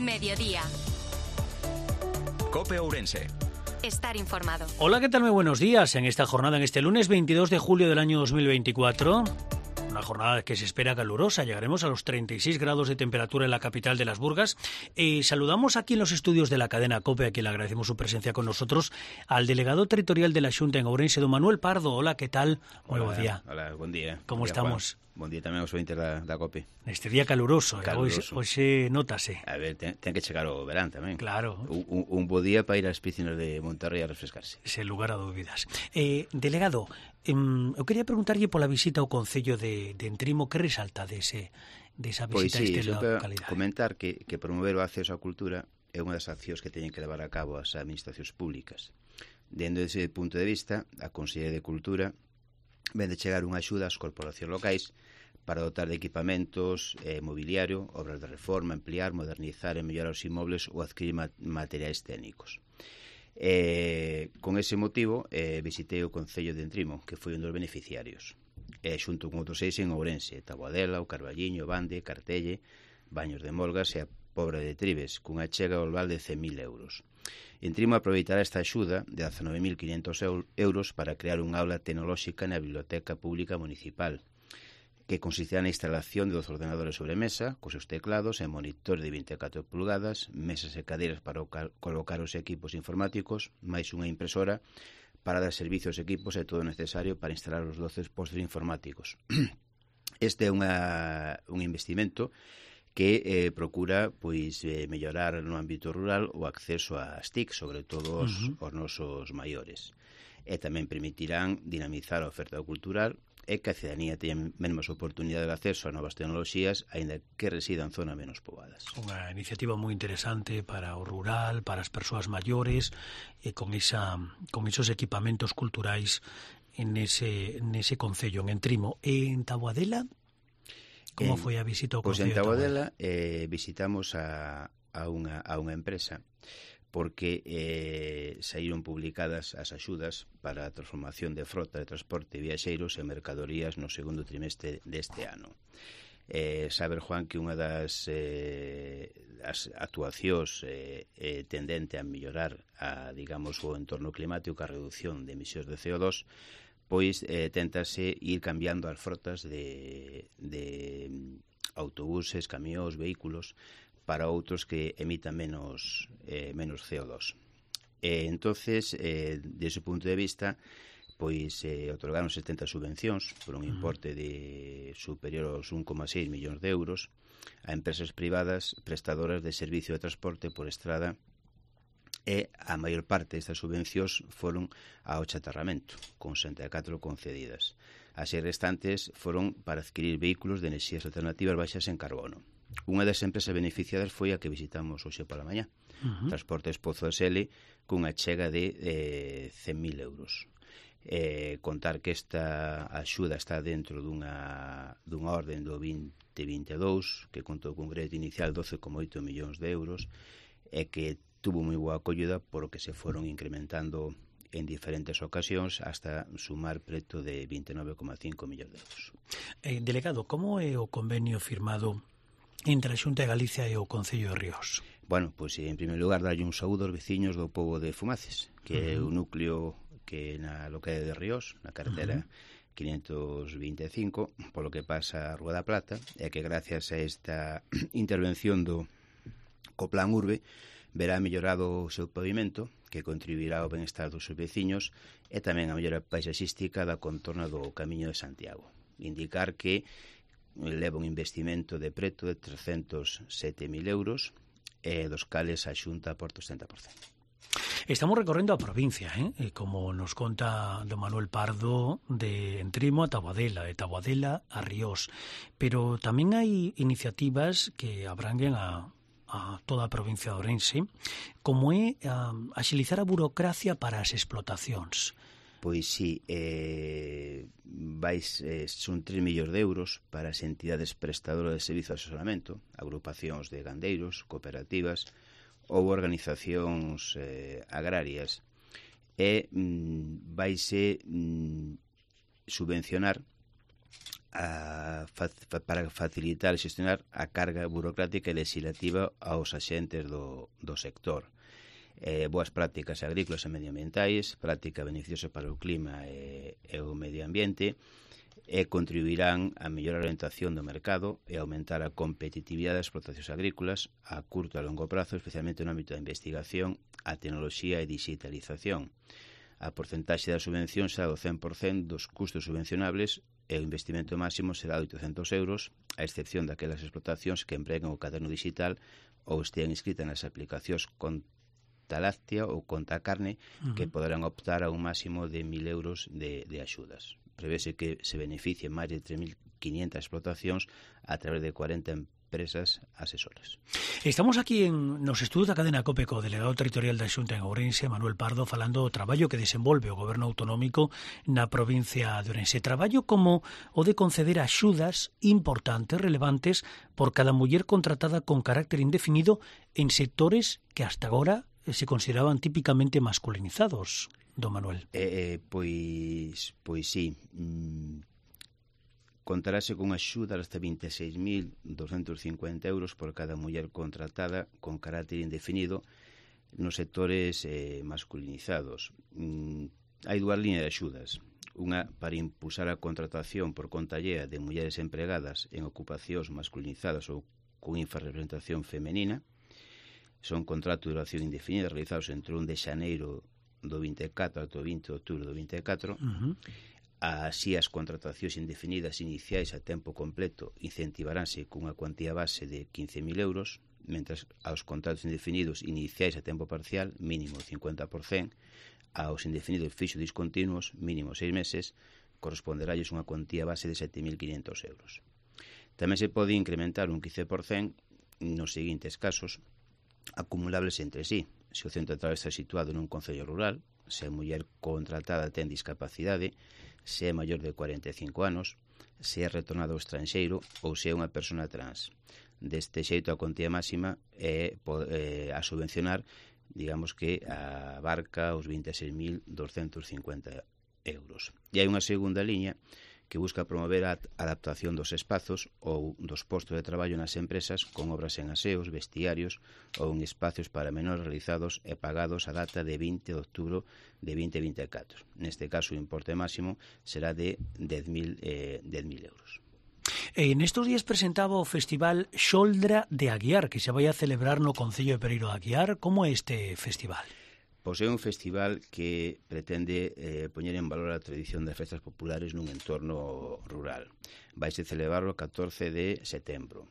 Mediodía. COPE Ourense. Estar informado. Hola, ¿qué tal? Muy buenos días. En esta jornada, en este lunes 22 de julio del año 2024... una jornada que se espera calurosa. Llegaremos a los 36 grados de temperatura en la capital de las Burgas. Saludamos aquí en los estudios de la cadena COPE, a quien le agradecemos su presencia con nosotros, al delegado territorial de la Xunta en Ourense, don Manuel Pardo. Hola, ¿qué tal? Muy buen día. Hola, buen día. ¿Cómo estamos? Juan. Buen día tamén aos ointes da COPE. Neste día caluroso. Hoxe nótase. A ver, ten que chegar o verán tamén. Claro. Un bo día para ir ás piscinas de Monterrey a refrescarse. Sen lugar a dúbidas. Delegado, eu quería preguntarlle pola visita ao Concello de Entrimo. Que resalta desa visita a esta localidade? Comentar que promover o acceso á cultura é unha das accións que teñen que levar a cabo as administracións públicas. Dende ese punto de vista, a Consellería de Cultura ven de chegar unha axuda ás corporacións locais para dotar de equipamentos, mobiliario, obras de reforma, ampliar, modernizar e mellorar os inmobles ou adquirir materiais técnicos. Con ese motivo visitei o Concello de Entrimo, que foi un dos beneficiarios, xunto con outros 6 en Ourense: Taboadela, o Carballiño, Bande, Cartelle, Baños de Molgas e a Pobra de Tribes, cunha chega global de 100.000 euros. Entrimo aproveitará esta axuda de 19.500 euros para crear unha aula tecnolóxica na Biblioteca Pública Municipal, que consistirá na instalación de 2 ordenadores sobre mesa, cos seus teclados e monitor de 24 pulgadas, mesas e cadeiras para colocar os equipos informáticos, máis unha impresora para dar servicio aos equipos e todo o necesario para instalar os 12 postos informáticos. Este é un investimento que procura mellorar no ámbito rural o acceso ás TIC, sobre todo os nosos maiores. E tamén permitirán dinamizar a oferta cultural e que a cidadanía teña mesmas oportunidades de acceso a novas tecnoloxías, aínda que residan en zonas menos poboadas. Unha iniciativa moi interesante para o rural, para as persoas maiores, e con esos equipamentos culturais nese concello, en Entrimo. E en Taboadela, como foi a visita ao concello de Taboadela? En Taboadela visitamos a unha empresa, porque saíron publicadas as axudas para a transformación de frota de transporte de viaxeiros e mercadorías no segundo trimestre deste ano. Saber, Juan, que unha das actuacións tendente a mellorar o entorno climático, a reducción de emisións de CO2, pois téntase ir cambiando as frotas de autobuses, camións, vehículos para outros que emitan menos CO2. Entonces, desde o punto de vista, pois otorgaron 70 subvencións por un importe de superior aos 1,6 millóns de euros a empresas privadas prestadoras de servicio de transporte por estrada, e a maior parte destas subvencións foron ao chatarramento, con 64 concedidas. As restantes foron para adquirir vehículos de enerxías alternativas baixas en carbono. Unha das empresas beneficiadas foi a que visitamos hoxe pola mañá, Transportes Pozo SL, cunha chega de 100.000 euros. Contar que esta axuda está dentro dunha orden do 2022, que contou cun crédito inicial de 12,8 millóns de euros, e que tuvo moi boa acollida por o que se foron incrementando en diferentes ocasións hasta sumar preto de 29,5 millóns de euros. Delegado, como é o convenio firmado entre a Xunta de Galicia e o Concello de Ríos? Bueno, pois en primeiro lugar darlle un saúdo aos veciños do pobo de Fumaces, que é un núcleo que na localidade de Ríos, na carretera 525, polo que pasa a Rúa da Plata, e que gracias a esta intervención co Plan Urbe verá mellorado o seu pavimento, que contribuirá ao benestar dos seus veciños, e tamén a mellora paisaxística da contorna do Camiño de Santiago. Indicar que leva un investimento de preto de 307.000 euros, dos cales a Xunta aporta o 70%. Estamos recorrendo a provincia, como nos conta don Manuel Pardo, de Entrimo a Taboadela, de Taboadela a Ríos, pero tamén hai iniciativas que abranguen a toda a provincia de Ourense, como é axilizar a burocracia para as explotacións. Pois sí, son 3 millóns de euros para as entidades prestadoras de servizo de asesoramento, agrupacións de gandeiros, cooperativas ou organizacións agrarias, e vaise subvencionar para facilitar e xestionar a carga burocrática e legislativa aos axentes do sector. Boas prácticas agrícolas e medioambientais, práctica beneficiosa para o clima e o medio ambiente, e contribuirán a mellorar a orientación do mercado e aumentar a competitividade das explotacións agrícolas a curto e a longo prazo, especialmente no ámbito da investigación, a tecnoloxía e digitalización. A porcentaxe da subvención será do 100% dos custos subvencionables e o investimento máximo será de 800 euros, a excepción daquelas explotacións que empreguen o caderno digital ou estean inscritas nas aplicacións Conta Láctea ou Conta Carne, que poderán optar a un máximo de 1.000 euros de axudas. Prevese que se beneficien máis de 3.500 explotacións a través de 40 empresas asesoras. Estamos aquí nos estudos da cadena COPE co delegado territorial da Xunta en Ourense, Manuel Pardo, falando do traballo que desenvolve o goberno autonómico na provincia de Ourense. Traballo como o de conceder axudas importantes, relevantes, por cada muller contratada con carácter indefinido en sectores que hasta agora se consideraban típicamente masculinizados, don Manuel. Pois sí. Contarase con axuda hasta 26.250 euros por cada muller contratada con carácter indefinido nos sectores masculinizados. Hai dúas líneas de axudas. Unha para impulsar a contratación por conta allea de mulleres empregadas en ocupacións masculinizadas ou con infrarrepresentación femenina. Son contratos de duración indefinida realizados entre 1 de xaneiro do 24 ata o 20 de outubro do 24. Así, as contratacións indefinidas iniciais a tempo completo incentivaránse cunha cuantía base de 15.000 euros, mentras aos contratos indefinidos iniciais a tempo parcial, mínimo 50%, aos indefinidos fixos discontinuos, mínimo 6 meses, corresponderalles unha cuantía base de 7.500 euros. Tamén se pode incrementar un 15% nos seguintes casos, acumulables entre sí. Se o centro de traballo está situado nun concello rural, se a muller contratada ten discapacidade, se é maior de 45 anos, se é retornado ao estranxeiro ou se é unha persona trans. Deste xeito, a cuantía máxima é a subvencionar, digamos que abarca os 26.250 euros. E hai unha segunda liña que busca promover a adaptación dos espazos ou dos postos de traballo nas empresas con obras en aseos, vestiarios ou en espacios para menores realizados e pagados a data de 20 de outubro de 2024. Neste caso, o importe máximo será de 10.000 euros. Nestos días presentaba o Festival Xoldra de Aguiar, que se vai a celebrar no Concello de Pereiro de Aguiar. Como é este festival? Pois é un festival que pretende poñer en valor a tradición das festas populares nun entorno rural. Vaise celebrar o 14 de setembro.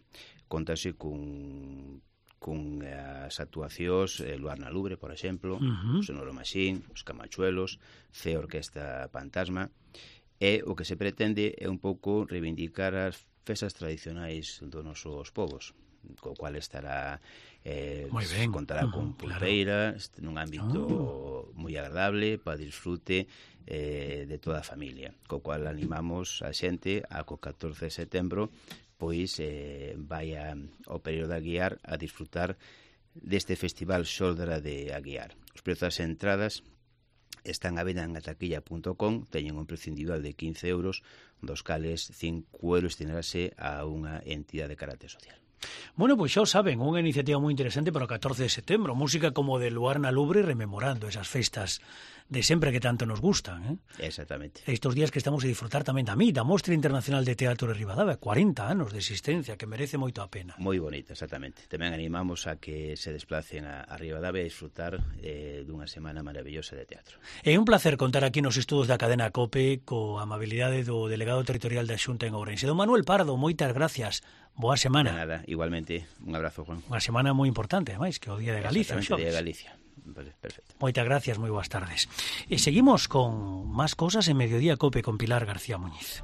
Contase cun as actuacións Luar na Lubre, por exemplo, Sonoro Machín, os Camachuelos, Cea Orquesta Fantasma, e o que se pretende é un pouco reivindicar as festas tradicionais dos nosos povos, co cual estará contará con pulpeira, nun ámbito moi agradable para disfrute de toda a familia, co cual animamos a xente a co 14 de setembro pois vai ao Pereiro de Aguiar a disfrutar deste festival Xoldra de Aguiar. Os prezos das entradas están a venda en ataquilla.com, teñen un precio individual de 15 euros, dos cales 5 euros destinarase a unha entidade de carácter social. Bueno, pois xa o saben, unha iniciativa moi interesante para o 14 de setembro, música como de Luar na Lubre rememorando esas festas de sempre que tanto nos gustan, Exactamente. Estos días que estamos a disfrutar tamén da Mostra Internacional de Teatro de Ribadavia, 40 anos de existencia, que merece moito a pena. Moi bonita, exactamente. Tamén animamos a que se desplacen a Ribadavia a disfrutar dunha semana maravillosa de teatro. É un placer contar aquí nos estudos da cadena COPE coa amabilidade do delegado territorial da Xunta en Ourense. Don Manuel Pardo, moitas gracias. Boa semana. De nada, igualmente. Un abrazo, Juan. Unha semana moi importante, ademais, que é o Día de Galicia. Exactamente, o Día de Galicia. Perfecto. Moitas gracias, moi boas tardes. E seguimos con máis cosas en Mediodía Cope con Pilar García Muñiz.